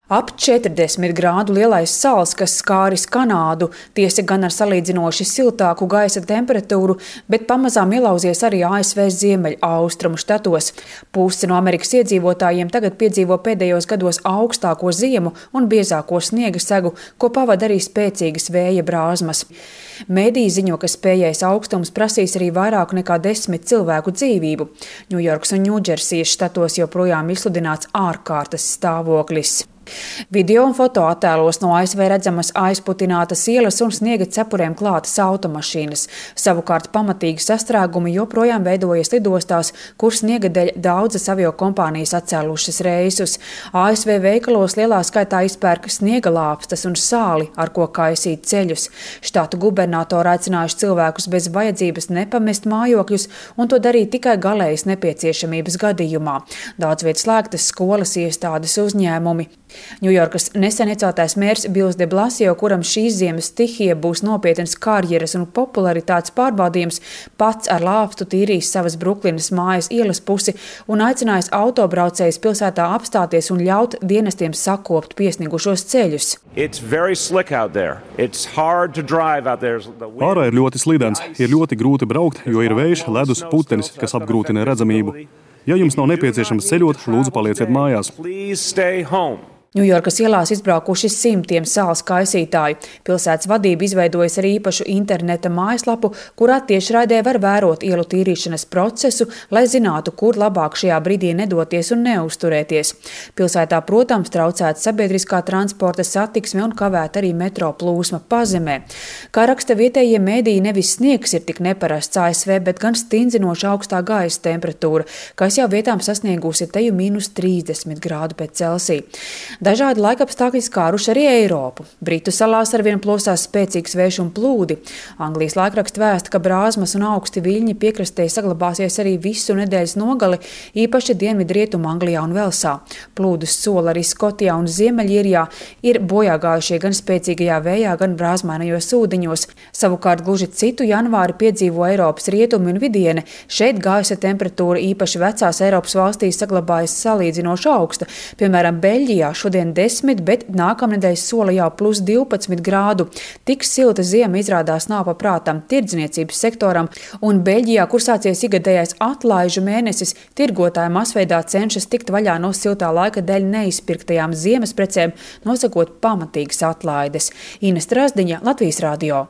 Ap 40 grādu lielais sals, kas skāris Kanādu, tiesa gan ar salīdzinoši siltāku gaisa temperatūru, bet pamazām ielauzies arī ASV ziemeļaustrumu štatos. Puse no Amerikas iedzīvotājiem tagad piedzīvo pēdējos gados augstāko ziemu un biezāko sniega segu, ko pavada arī spēcīgas vēja brāzmas. Mēdīji ziņo, ka spējais augstums prasīs arī vairāk nekā 10 cilvēku dzīvību. Ņujorkas un Ņūdžersijas štatos joprojām izsludināts ārkārtas stāvoklis. Video un fotoattēlos no ASV redzamas aizputinātas ielas un sniega cepuriem klātas automašīnas. Savukārt pamatīgi sastrēgumi joprojām veidojas lidostās, kur sniega dēļ daudzas aviokompānijas atcēlušas reisus. ASV veikalos lielā skaitā izpērk sniega lāpstas un sāli, ar ko kaisīt ceļus. Štātu gubernatori aicinājuši cilvēkus bez vajadzības nepamest mājokļus un to darīt tikai galējas nepieciešamības gadījumā. Daudz viet slēgtas skolas, iestādes, uzņēmumi. Ņujorkas nesen ieceltais mērs Bills de Blasio, kuram šīs ziemas stihija būs nopietnas karjeras un popularitātes pārbaudījums, pats ar lāpstu tīrīs savas Bruklinas mājas ielas pusi un aicinājis autobraucējus pilsētā apstāties un ļaut dienestiem sakopt piesnigušos ceļus. Ārā ir ļoti slidens, ir ļoti grūti braukt, jo ir vējš, ledus, putenis, kas apgrūtina redzamību. Ja jums nav nepieciešams ceļot, lūdzu palieciet mājās. Ņujorkas ielās izbraukuši simtiem sāls kaisītāju. Pilsētas vadība izveidojas arī īpašu interneta mājaslapu, kurā tiešraidē var vērot ielu tīrīšanas procesu, lai zinātu, kur labāk šajā brīdī nedoties un neuzturēties. Pilsētā, protams, traucēta sabiedriskā transporta satiksme un kavēta arī metro plūsma pazemē. Kā raksta vietējie mēdīji, nevis sniegs ir tik neparasts ASV, bet gan stindzinoši augstā gaisa temperatūra, kas jau vietām sasniegusi teju -30 grādu pēc Celsija. Dažādi laikapstākļi skāruši arī Eiropu. Britu salās arvien plosās spēcīgs vējš un plūdi. Anglijas laikraksts vēsta, ka brāzmas un augsti viļņi piekrastē saglabāsies arī visu nedēļas nogali, īpaši dienvidrietumu Anglijā un Velsā. Plūdus sola arī Skotijā un Ziemeļīrijā, ir bojāgājušie gan spēcīgajā vējā, gan brāzmainajos ūdeņos. Savukārt gluži citu janvāri piedzīvo Eiropas rietumi un vidiene. Šeit gaisa temperatūra īpaši vecās Eiropas valstīs saglabājas salīdzinoši augsta. Piemēram, Beļģijā šodien 10, bet nākamnedēļ sola jau +12 grādu. Tik silta ziema izrādās nav paprātam tirdzniecības sektoram, un Beļģijā, kur sācies ikgadējais atlaižu mēnesis, tirgotāji masveidā cenšas tikt vaļā no siltā laika dēļ neizpirktajām ziemas precēm, nosakot pamatīgas atlaides. Ines Trasdiņa, Latvijas radio.